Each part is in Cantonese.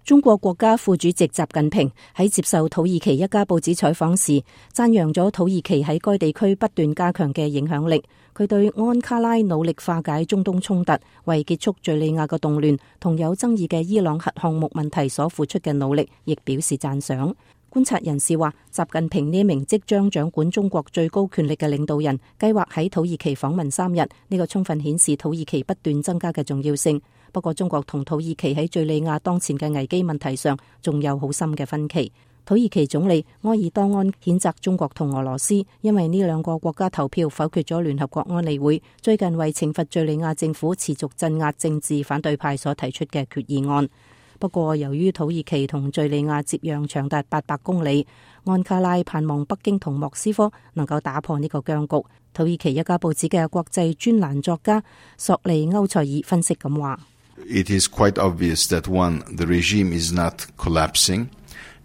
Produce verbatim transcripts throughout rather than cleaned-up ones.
中國國家副主席習近平喺接受土耳其一家報紙採訪時，讚揚咗土耳其喺該地區不斷加強嘅影響力。佢對安卡拉努力化解中東衝突、為結束敘利亞嘅動亂同有爭議嘅伊朗核項目問題所付出嘅努力，亦表示讚賞。觀察人士話，習近平呢名即將掌管中國最高權力嘅領導人，計劃喺土耳其訪問三日，呢個充分顯示土耳其不斷增加嘅重要性。不過，中國同土耳其喺敘利亞當前嘅危機問題上，仲有好深嘅分歧。土耳其總理埃爾多安譴責中國同俄羅斯，因為呢兩個國家投票否決咗聯合國安理會最近為懲罰敘利亞政府持續鎮壓政治反對派所提出嘅決議案。不過，由於土耳其同敘利亞接壤長達八百公里，安卡拉盼望北京同莫斯科能夠打破呢個僵局。土耳其一家報紙嘅國際專欄作家索利歐塞爾分析咁話：It is quite obvious that one, the regime is not collapsing,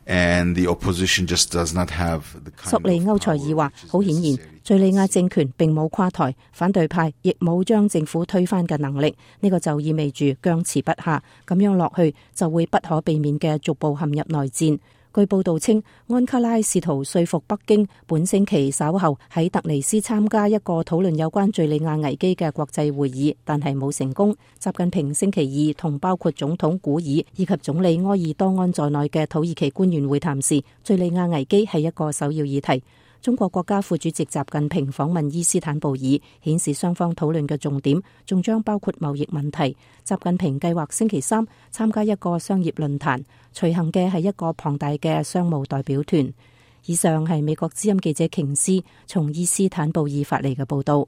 and the opposition just does not have the kind of power. 索利歐塞爾話：好顯然，敘利亞政權並冇垮台，反對派亦冇將政府推翻嘅能力。呢個就意味住僵持不下，咁樣落去就會不可避免嘅逐步陷入內戰。據報道稱，安卡拉試圖說服北京本星期稍後喺突尼斯參加一個討論有關敘利亞危機嘅國際會議，但係冇成功。習近平星期二同包括總統古爾以及總理埃爾多安在內嘅土耳其官員會談時，敘利亞危機係一個首要議題。中國國家副主席習近平訪問伊斯坦布爾，顯示雙方討論嘅重點仲將包括貿易問題。習近平計劃星期三參加一個商業論壇，隨行嘅係一個龐大嘅商務代表團。以上係美國之音記者瓊斯從伊斯坦布爾發嚟嘅報道。